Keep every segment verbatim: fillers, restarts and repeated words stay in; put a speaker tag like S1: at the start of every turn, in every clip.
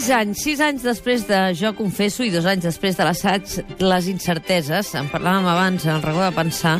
S1: Sis anys, sis anys després de Jo confesso i dos anys després de l'assaig Les incerteses, en parlàvem abans en el racó de pensar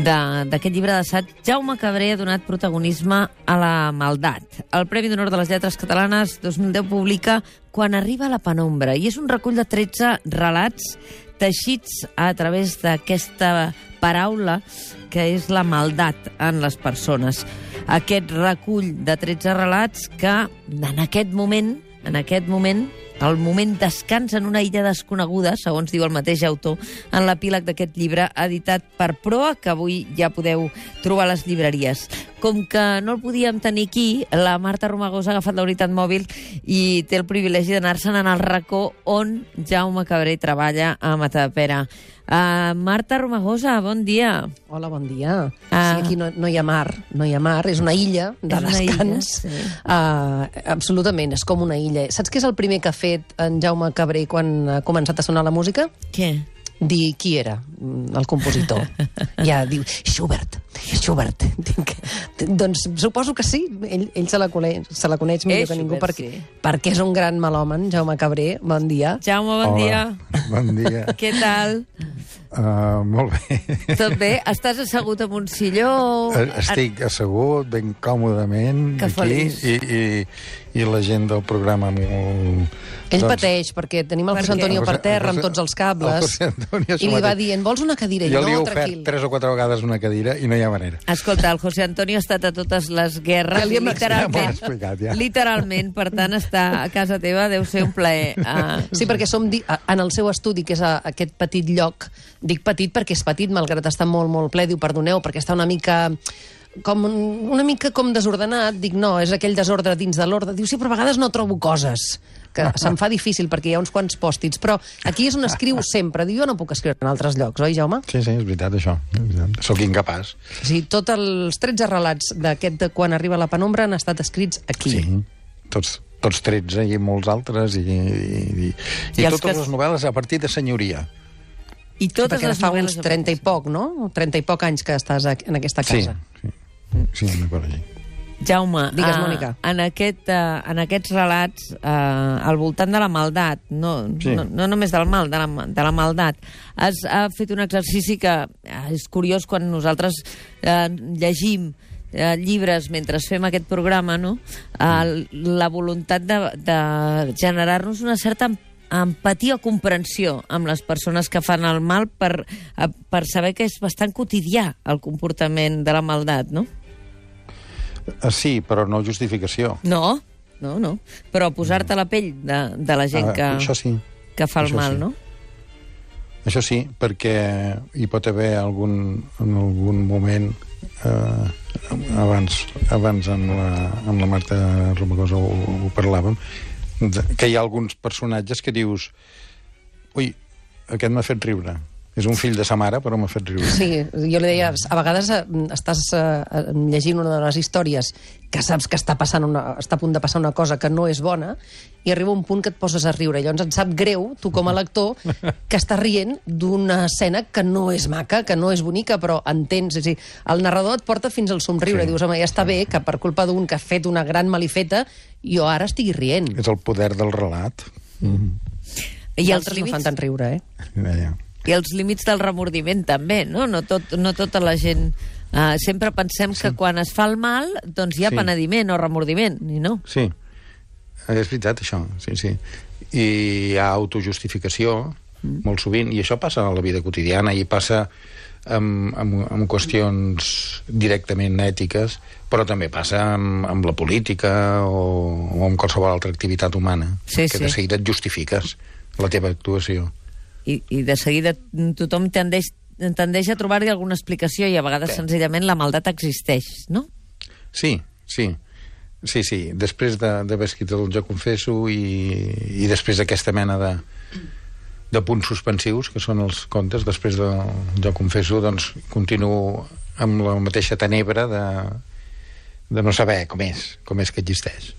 S1: d'aquest llibre d'assaig, Jaume Cabré ha donat protagonisme a la maldat. El Premi d'Honor de les Lletres Catalanes dos mil deu publica Quan arriba la penombra, i és un recull de tretze relats teixits a través d'aquesta paraula que és la maldat en les persones. Aquest recull de tretze relats que en aquest moment, en aquest moment, el moment descansa en una illa desconeguda, segons diu el mateix autor, en l'epíleg d'aquest llibre editat per Proa, que avui ja podeu trobar a les llibreries. Com que no el podíem tenir aquí, la Marta Romagosa ha agafat la unitat mòbil i té el privilegi d'anar-se'n en el racó on Jaume Cabré treballa a Matadepera. Uh, Marta Romagosa, bon dia.
S2: Hola, bon dia.
S1: Uh,
S2: sí, aquí no, no hi ha mar, no hi ha mar, és una illa de descans.
S1: Illa, sí.
S2: uh, absolutament, és com una illa. Saps què és el primer que ha fet en Jaume Cabré quan ha començat a sonar la música?
S1: Què?
S2: Dir qui era el compositor. Ja diu, Schubert, Schubert. Dic, doncs suposo que sí, ell, ell se la coneix, se la coneix millor
S1: és
S2: que ningú,
S1: Schubert,
S2: perquè,
S1: sí.
S2: perquè és un gran melòman, Jaume Cabré. Bon dia.
S1: Jaume, bon
S3: Hola.
S1: dia.
S3: Bon dia.
S1: Què tal?
S3: Uh, molt bé.
S1: Tot bé? Estàs assegut en un silló?
S3: Estic assegut, ben còmodament,
S1: Que
S3: aquí,
S1: feliç.
S3: i, i, i la gent del programa molt...
S2: Ell doncs, pateix, perquè tenim el
S1: Per
S2: José
S1: què?
S2: Antonio per
S3: José-
S2: terra amb
S3: José-
S2: tots els cables,
S3: el José Antonio
S2: i li va
S3: mateix.
S2: dient, vols una cadira? I
S3: Jo li he
S2: no,
S3: ofert
S2: tranquil.
S3: tres o quatre vegades una cadira i no hi ha manera.
S1: Escolta, el José Antonio ha estat a totes les guerres,
S2: Ja li hem
S1: literalment,
S3: explicat, ja m'ho has explicat, ja.
S1: literalment, per tant, estar a casa teva deu ser un plaer. Uh,
S2: Sí, perquè som di en el seu estudi, que és a aquest petit lloc, dic petit perquè és petit, malgrat estar molt, molt ple, diu, perdoneu, perquè està una mica com una mica com desordenat, dic, no, és aquell desordre dins de l'ordre. Diu, sí, però a vegades no trobo coses, que se'm fa difícil perquè hi ha uns quants pòstits, però aquí és on escriu sempre. Diu, jo no puc escriure en altres llocs, oi, Jaume?
S3: Sí, sí, és veritat, això. Sóc incapaç.
S2: O sigui, tots els tretze relats d'aquest de Quan arriba la penombra han estat escrits aquí.
S3: Sí, tots, tots tretze i molts altres, i, i, i,
S1: I
S3: i
S1: els
S3: totes
S1: que-
S3: les novel·les a partir de senyoria.
S1: I
S2: Sí,
S1: totes
S2: perquè
S1: les
S2: fa
S1: novel·les
S2: uns trenta i poc, no? trenta i poc anys que estàs en aquesta
S3: Sí,
S2: casa.
S3: sí, sí, una cosa així.
S1: Jaume,
S2: Digues,
S1: uh,
S2: Mònica.
S1: en, aquest, uh, en aquests relats, uh, al voltant de la maldat, no,
S3: Sí.
S1: no, no només del mal, de la, de la maldat, has uh, fet un exercici que uh, és curiós quan nosaltres uh, llegim uh, llibres mentre fem aquest programa, no? Uh, la voluntat de, de generar-nos una certa empatia o comprensió amb les persones que fan el mal per, uh, per saber que és bastant quotidià el comportament de la maldat, no?
S3: Ah, sí, però no justificació.
S1: No, no, no. Però posar-te a la pell de, de la gent
S3: Ah,
S1: que,
S3: això sí.
S1: que fa el
S3: això
S1: mal,
S3: sí.
S1: no?
S3: Això sí, perquè hi pot haver algun, en algun moment eh, abans, abans amb la, amb la Marta Romagosa ho, ho parlàvem, de, que hi ha alguns personatges que dius, ui, aquest m'ha fet riure. És un fill de sa mare, però m'ha fet riure.
S2: Sí, jo li deia, a vegades eh, estàs eh, llegint una de les històries que saps que està, passant una, està a punt de passar una cosa que no és bona i arriba un punt que et poses a riure. Llavors et sap greu, tu com a lector, que estàs rient d'una escena que no és maca, que no és bonica, però entens. És a dir, el narrador et porta fins al somriure.
S3: Sí.
S2: Dius, home, ja està bé que per culpa d'un que ha fet una gran malifeta jo ara estigui rient.
S3: És el poder del relat. Mm.
S1: I els,
S2: D'altres no fan
S1: límits,
S2: tant riure, eh?
S3: Ja, ja.
S1: I els límits del remordiment també, no? No, tot, no tota la gent... Uh, sempre pensem sí. que quan es fa el mal doncs hi ha
S3: Sí.
S1: penediment o remordiment, i no.
S3: Sí, és veritat, això. Sí, sí. I hi ha autojustificació, mm. molt sovint, i això passa a la vida quotidiana, i passa amb, amb, amb qüestions directament ètiques, però també passa amb, amb la política o, o amb qualsevol altra activitat humana,
S1: Sí,
S3: que
S1: sí.
S3: de seguida et justifiques la teva actuació.
S1: I, i de seguida tothom tendeix, tendeix a trobar-hi alguna explicació i a vegades
S3: Sí.
S1: senzillament la maldat existeix, no?
S3: Sí, sí. Sí, sí. Després de- d'haver escrit el Jo confesso i, i després d'aquesta mena de, de punts suspensius, que són els contes, després de Jo confesso, doncs continuo amb la mateixa tenebra de, de no saber com és, com és que existeix.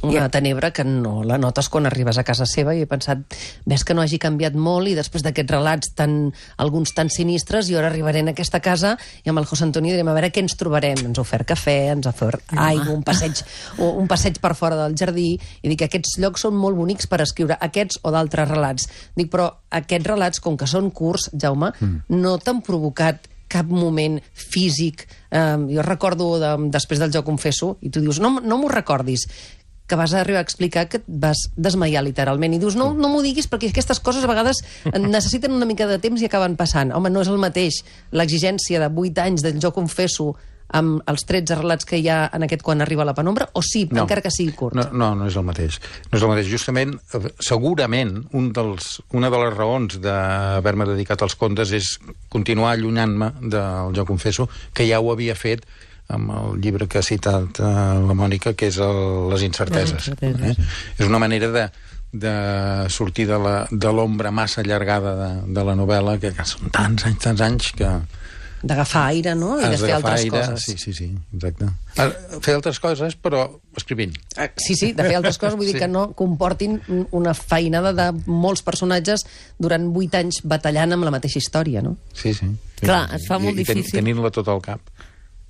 S2: Una tenebra que no la notes quan arribes a casa seva, i he pensat, ves que no hagi canviat molt, i després d'aquests relats tan, alguns tan sinistres, i ara arribaré a aquesta casa i amb el José Antonio direm, a veure què ens trobarem. Ens ha ofert cafè, ens ha ofert aigua, un passeig, un passeig per fora del jardí, i dic que aquests llocs són molt bonics per escriure aquests o d'altres relats. Dic, però aquests relats, com que són curts, Jaume, mm. no t'han provocat cap moment físic. Eh, jo recordo, de, després del Jo confesso, i tu dius, no, no m'ho recordis, que vas arribar a explicar que et vas desmaiar literalment, i dius, no, no m'ho diguis perquè aquestes coses a vegades necessiten una mica de temps i acaben passant. Home, no és el mateix l'exigència de vuit anys del Jo confesso amb els tretze relats que hi ha en aquest Quan arriba la penombra, o sí, no, encara que sigui curt?
S3: No, no, no és el mateix. No és el mateix. Justament, segurament, un dels, una de les raons d'haver-me dedicat als contes és continuar allunyant-me del Jo confesso, que ja ho havia fet amb el llibre que ha citat uh, la Mònica, que és el, Les incerteses. Les incerteses. Eh? És una manera de, de sortir de l'ombra massa allargada de, de la novel·la, que, que són tants anys, tants anys que...
S2: D'agafar aire, no? I de fer altres
S3: aire,
S2: coses.
S3: Sí, sí, sí, exacte. Fer altres coses, però escrivint.
S2: Sí, sí, de fer altres coses, vull sí. dir que no comportin una feinada de molts personatges durant vuit anys batallant amb la mateixa història, no?
S3: Sí, sí.
S1: Clar, es fa molt
S3: I,
S1: difícil.
S3: I tenint-la tot al cap.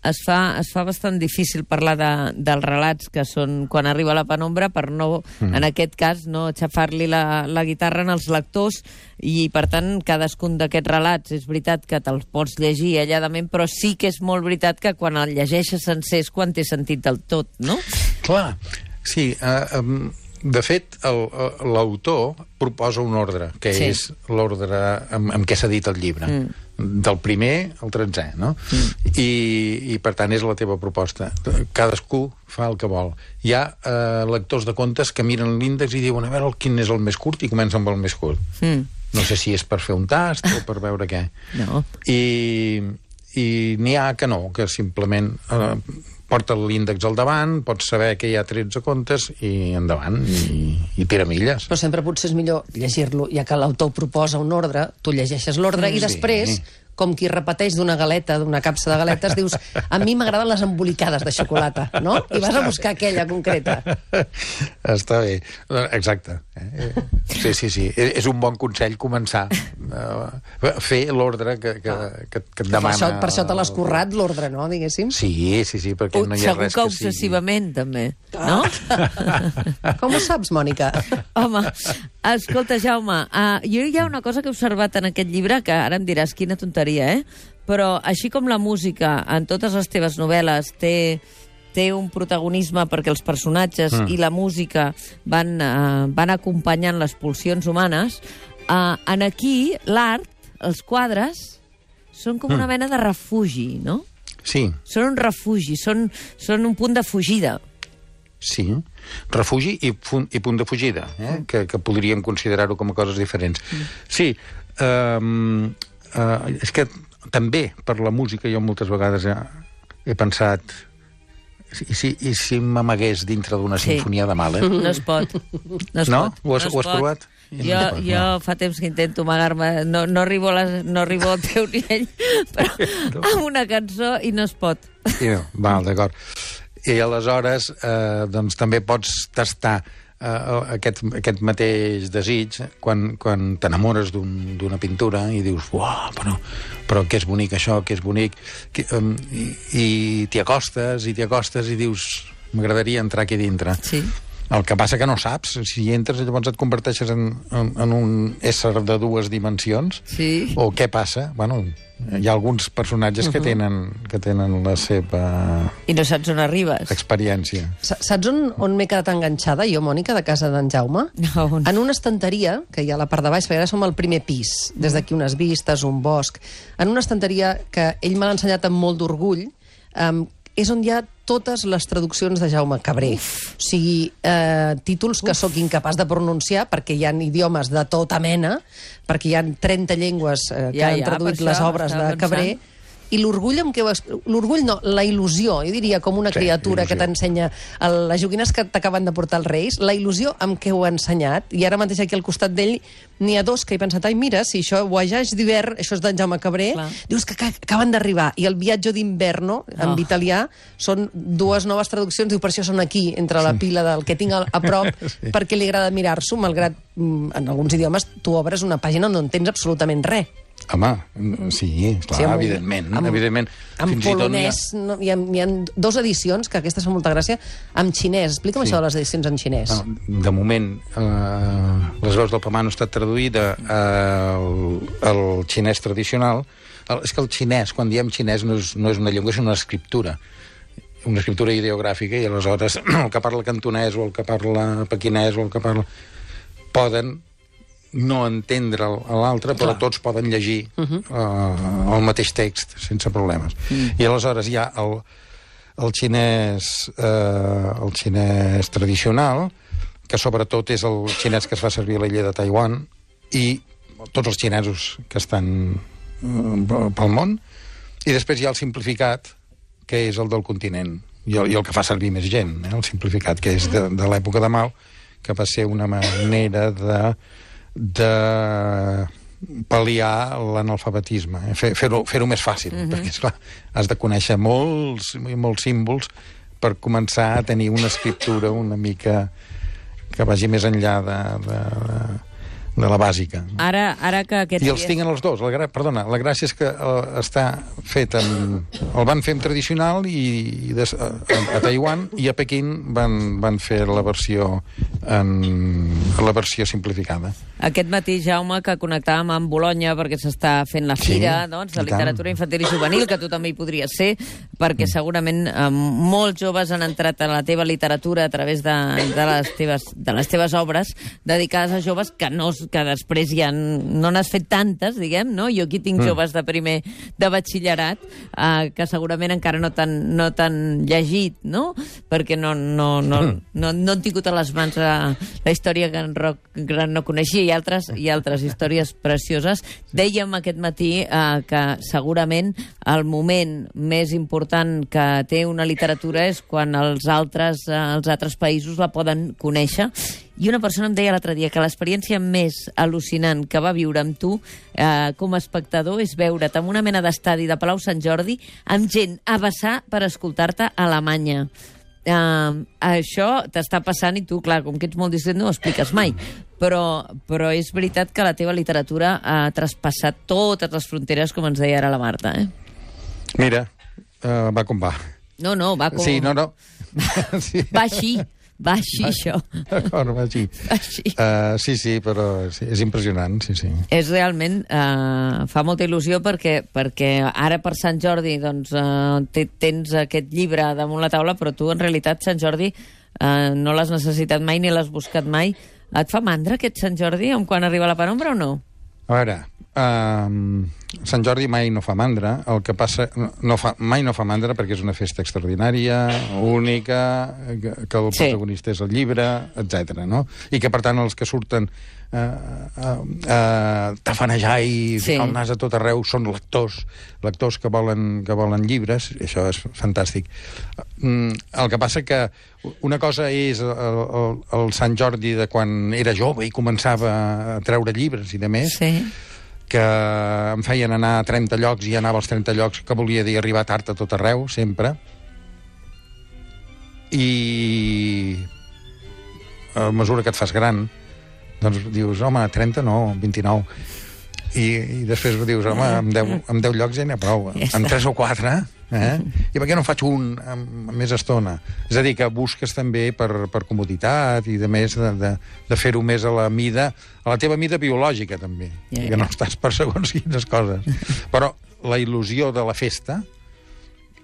S1: Es fa, es fa bastant difícil parlar de, dels relats que són Quan arriba la penombra, per no, mm. en aquest cas, no aixafar-li la, la guitarra als lectors, i per tant cadascun d'aquests relats és veritat que te'ls pots llegir alladament, però sí que és molt veritat que quan el llegeixes sencer és quan té sentit del tot, no?
S3: Clar, sí. Uh, um, de fet, l'autor proposa un ordre, que sí. és l'ordre amb, amb què s'ha dit el llibre. Mm. Del primer al tretzè, no? Mm. I, I, per tant, és la teva proposta. Cadascú fa el que vol. Hi ha eh, lectors de contes que miren l'índex i diuen, a veure, quin és el més curt, i comencen amb el més curt. Mm. No sé si és per fer un tast o per veure què.
S1: No.
S3: I, i n'hi ha que no, que simplement eh, porta l'índex al davant, pots saber que hi ha tretze contes i endavant, i, i tira milles.
S2: Però sempre potser és millor llegir-lo, ja que l'autor proposa un ordre, tu llegeixes l'ordre, mm, i després, sí. com qui repeteix d'una galeta, d'una capsa de galetes, dius, a mi m'agraden les embolicades de xocolata, no? I vas a buscar aquella concreta.
S3: Està bé, exacte. Sí, sí, sí. És un bon consell començar a fer l'ordre que, que, que, que et demana.
S2: Per això, per això te l'has currat, l'ordre, no, diguéssim?
S3: Sí, sí, sí, perquè no hi ha res que sigui.
S1: Segur que obsessivament, també, no?
S2: Com ho saps, Mònica?
S1: Home, escolta, Jaume, uh, jo hi ha una cosa que he observat en aquest llibre, que ara em diràs quina tonteria, eh? Però així com la música en totes les teves novel·les té, té un protagonisme perquè els personatges mm. i la música van, uh, van acompanyant les pulsions humanes, uh, en aquí l'art, els quadres, són com mm. una mena de refugi, no?
S3: Sí.
S1: Són un refugi, són, són un punt de fugida.
S3: Sí, refugi i, i punt de fugida, eh? mm. que, que podríem considerar-ho com a coses diferents. Mm. Sí, um, uh, és que també per la música jo moltes vegades he, he pensat i si, i si m'amagués dintre d'una sí. sinfonia de Mahler?
S1: No es pot. No? Es
S3: no?
S1: pot.
S3: Ho has,
S1: no
S3: ho has provat?
S1: Jo, no pot, jo no. fa temps que intento amagar-me, no, no, arribo a les, no arribo al teu nivell, però amb una cançó i no es pot.
S3: I no, val, d'acord. I aleshores eh, doncs també pots tastar eh, aquest, aquest mateix desig quan, quan t'enamores d'una un, pintura i dius, uau, però, però que és bonic això, que és bonic, que, um, i, i t'hi acostes i t'hi acostes i dius, m'agradaria entrar aquí dintre.
S1: Sí.
S3: El que passa que no saps, si hi entres llavors et converteixes en, en, en un ésser de dues dimensions,
S1: sí.
S3: o què passa? Bueno, hi ha alguns personatges uh -huh. que tenen, que tenen la seva...
S1: I no saps on arribes.
S3: Experiència.
S2: Saps on, on m'he quedat enganxada, jo, Mònica, de casa d'en Jaume?
S1: No, on...
S2: En una estanteria, que hi ha a la part de baix, perquè ara som al primer pis, des d'aquí unes vistes, un bosc, en una estanteria que ell m'ha ensenyat amb molt d'orgull, um, és on hi ha totes les traduccions de Jaume Cabré. Uf. O sigui, eh, títols que Uf. sóc incapaç de pronunciar, perquè hi ha idiomes de tota mena, perquè hi ha trenta llengües eh, que ja, han ja, traduït les obres de Cabré, I l'orgull amb què ho... L'orgull no, la il·lusió, jo diria com una
S3: Sí,
S2: criatura que
S3: il·lusió.
S2: t'ensenya el, les joguines que t'acaben de portar els Reis, la il·lusió amb què ho ha ensenyat, i ara mateix aquí al costat d'ell n'hi ha dos que he pensat, ai, mira, si això Voyage d'hivern, això és d'en Jaume Cabré,
S1: Clar.
S2: dius que ca- acaben d'arribar, i el Viatge d'inverno, en
S1: Oh.
S2: italià, són dues noves traduccions, diu, per això són aquí, entre la pila del que tinc a, a prop,
S3: Sí.
S2: perquè li agrada mirar-s'ho, malgrat mm, en alguns idiomes tu obres una pàgina on no entens absolutament res.
S3: Home, sí, clar,
S2: Sí, amb-
S3: evidentment,
S2: amb-
S3: evidentment.
S2: En
S3: Fins i tot n'hi ha-
S2: polonès, no, hi, ha, hi ha dos edicions, que aquestes fan molta gràcia, amb xinès. Explica'm
S3: Sí.
S2: això de les edicions en xinès.
S3: No, de moment, eh, les veus del Pamano ha estat traduïda al, al xinès tradicional. El, és que el xinès, quan diem xinès, no és, no és una llengua, és una escriptura. Una escriptura ideogràfica, i aleshores el que parla cantonès o el que parla pequinès o el que parla... poden no entendre l'altre, però
S2: Clar.
S3: tots poden llegir uh -huh. uh, el mateix text sense problemes. Mm. I aleshores hi ha el, el xinès eh, el xinès tradicional, que sobretot és el xinès que es fa servir a l'illa de Taiwan, i tots els xinesos que estan eh, pel món, i després hi ha el simplificat, que és el del continent, i el, i el que fa servir més gent, eh, el simplificat, que és de, de l'època de Mao, que va ser una manera de de pal·liar l'analfabetisme, eh? fer, fer-ho fer-ho més fàcil, uh -huh. perquè, esclar, has de conèixer molts, molts símbols per començar a tenir una escriptura una mica que vagi més enllà de, de, de la bàsica.
S1: Ara, ara que aquests
S3: I els
S1: dies...
S3: tinc els dos. La, gra- perdona, la gràcia és que uh, està fet amb... El van fer en tradicional i, i des, a, a Taiwan, i a Pequín van, van fer la versió en la versió simplificada.
S1: Aquest matí, Jaume, que connectàvem amb Bolonya perquè s'està fent la fira
S3: Sí,
S1: doncs, de
S3: i tant.
S1: literatura infantil i juvenil, que tu també hi podries ser, perquè segurament eh, molts joves han entrat a la teva literatura a través de, de, les, teves, de les teves obres dedicades a joves que, no, que després ja no n'has fet tantes, diguem, no? Jo aquí tinc mm. joves de primer de batxillerat eh, que segurament encara no t'han no t'han llegit, no? Perquè no, no, no, mm. no, no han tingut a les mans la, la història que en Roc Gran no coneixia, i altres, i altres històries precioses. Dèiem aquest matí eh, que segurament el moment més important que té una literatura és quan els altres, eh, els altres països la poden conèixer. I una persona em deia l'altre dia que l'experiència més al·lucinant que va viure amb tu eh, com a espectador és veure't en una mena d'estadi de Palau Sant Jordi amb gent a vessar per escoltar-te a Alemanya. Uh, això t'està passant i tu, clar, com que ets molt distret no ho expliques mai, però, però és veritat que la teva literatura ha traspassat totes les fronteres, com ens deia ara la Marta, eh?
S3: Mira, uh, va com va.
S1: No, no, va com...
S3: Sí, no, no. Sí.
S1: Va així, va així,
S3: Va-
S1: això.
S3: D'acord, va així.
S1: Va així.
S3: Uh, sí, sí, però sí, és impressionant, sí, sí.
S1: És realment... Eh, fa molta il·lusió perquè, perquè ara per Sant Jordi doncs, eh, te- tens aquest llibre damunt la taula, però tu en realitat Sant Jordi eh, no l'has necessitat mai ni l'has buscat mai. Et fa mandra aquest Sant Jordi en quan arriba la penombra o no?
S3: A veure, um, Sant Jordi mai no fa mandra, el que passa... No fa, mai no fa mandra perquè és una festa extraordinària, única, que, que el
S1: Sí.
S3: protagonista és el llibre, etcètera, no? I que, per tant, els que surten uh, uh, uh, tafanejar i
S1: Sí.
S3: ficar el nas a tot arreu són lectors, lectors que volen, que volen llibres, i això és fantàstic. Mm, el que passa que una cosa és el, el, el Sant Jordi de quan era jove i començava a treure llibres i de més,
S1: Sí.
S3: que em feien anar a trenta llocs i anava als trenta llocs, que volia dir arribar tard a tot arreu, sempre. I a mesura que et fas gran, doncs dius, home, trenta no, vint-i-nou. I, i després dius, home, amb deu, amb deu llocs ja n'hi ha prou.
S1: Ja
S3: Amb
S1: està.
S3: tres o quatre, eh? I per què no en faig un amb, amb més estona? És a dir, que busques també per, per comoditat i de més de, de, de fer-ho més a la mida, a la teva mida biològica, també.
S1: Ja,
S3: Que
S1: ja.
S3: no estàs per segons quines coses. Però la il·lusió de la festa,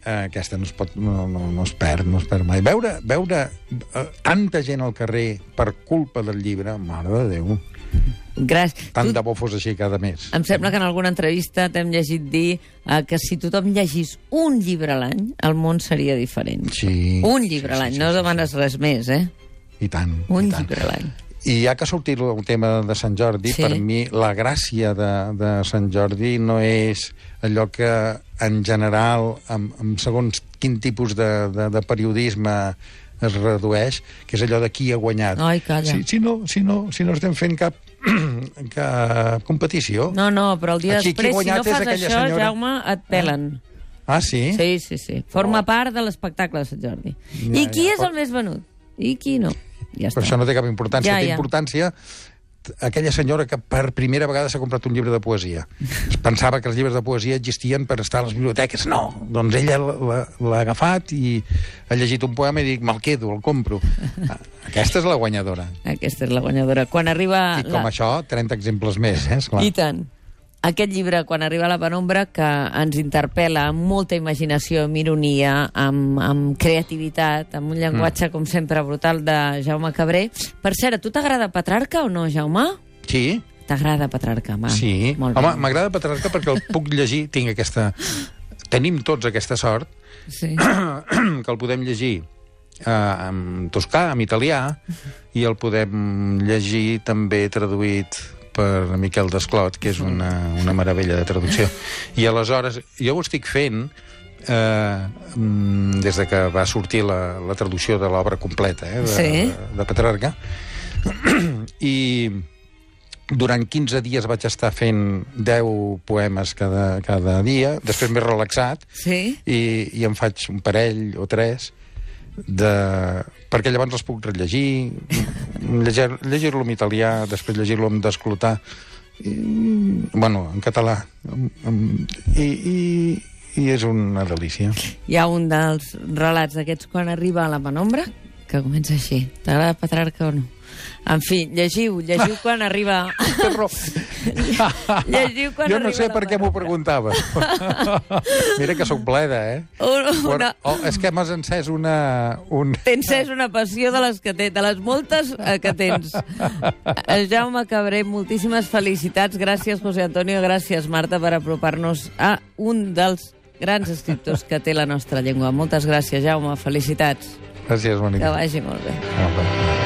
S3: eh, aquesta no es, pot, no, no, no es perd, no es perd mai. Veure, veure eh, tanta gent al carrer per culpa del llibre, mare de Déu,
S1: Gràcies.
S3: tant
S1: Tu-
S3: de bo fos així cada mes.
S1: Em sembla que en alguna entrevista t'hem llegit dir eh, que si tothom llegís un llibre a l'any, el món seria diferent.
S3: Sí.
S1: Un llibre
S3: sí,
S1: a l'any,
S3: sí,
S1: no
S3: sí,
S1: demanes res més, eh?
S3: I tant.
S1: Un
S3: i tant.
S1: llibre a l'any.
S3: I ja que ha sortit el tema de Sant Jordi,
S1: Sí.
S3: per mi la gràcia de, de Sant Jordi no és allò que en general, amb, amb segons quin tipus de, de, de periodisme es redueix, que és allò de qui ha guanyat.
S1: Ai, calla.
S3: Si, si, no, si, no, si no estem fent cap, cap competició...
S1: No, no, però el dia
S3: Aquí qui ha
S1: després, si no
S3: guanyat és
S1: fas
S3: aquella
S1: això,
S3: senyora.
S1: Jaume, et pelen.
S3: Ah, sí?
S1: Sí, sí, sí. Forma part de l'espectacle de Sant Jordi.
S3: Ja,
S1: I qui
S3: ja,
S1: és
S3: però-
S1: el més venut? I qui no? Ja
S3: Però
S1: està.
S3: això no té cap importància.
S1: Ja,
S3: Té
S1: ja.
S3: importància aquella senyora que per primera vegada s'ha comprat un llibre de poesia. Es pensava que els llibres de poesia existien per estar a les biblioteques. No, doncs ella l'ha l'ha agafat i ha llegit un poema i dic, me'l quedo, el compro. Aquesta és la guanyadora.
S1: Aquesta és la guanyadora. Quan arriba...
S3: I com
S1: la...
S3: això, trenta exemples més, eh? Esclar.
S1: I tant. Aquest llibre, quan arriba a la penombra, que ens interpel·la amb molta imaginació, amb ironia, amb, amb creativitat, amb un llenguatge, mm. com sempre, brutal de Jaume Cabré. Per cert, a tu t'agrada Petrarca o no, Jaume?
S3: Sí,
S1: T'agrada Petrarca, va.
S3: sí.
S1: Molt
S3: Home,
S1: bé.
S3: m'agrada Petrarca perquè el puc llegir, tinc aquesta... Tenim tots aquesta sort,
S1: Sí.
S3: que el podem llegir eh, en toscà, en italià, i el podem llegir també traduït per Miquel Desclot, que és una, una meravella de traducció. I aleshores, jo ho estic fent eh, mm, des de que va sortir la, la traducció de l'obra completa eh, de,
S1: Sí.
S3: de, de Petrarca, i durant quinze dies vaig estar fent deu poemes cada, cada dia, després m'he relaxat,
S1: Sí?
S3: i, i em faig un parell o tres de... perquè llavors els puc rellegir, llegir- llegir-lo en italià, després llegir-lo en desclotar, i, bueno, en català, i, i, i és una delícia.
S1: Hi ha un dels relats d'aquests quan arriba a la penombra que comença així. T'agrada Petrarca o no? En fi, llegiu, llegiu quan arriba...
S3: Tens raó.
S1: Llegiu quan
S3: Jo no
S1: arriba
S3: sé
S1: la
S3: per què m'ho preguntaves. Mira que sóc bleda, eh?
S1: Una,
S3: Però,
S1: una...
S3: oh, és que m'has encès una... Un...
S1: Tens és una passió de les que té, de les moltes eh, que tens. Eh, Jaume Cabré, moltíssimes felicitats. Gràcies, José Antonio. Gràcies, Marta, per apropar-nos a un dels grans escriptors que té la nostra llengua. Moltes gràcies, Jaume. Felicitats.
S3: Gràcies, Mònica.
S1: Que vagi molt bé.
S3: Ah, va.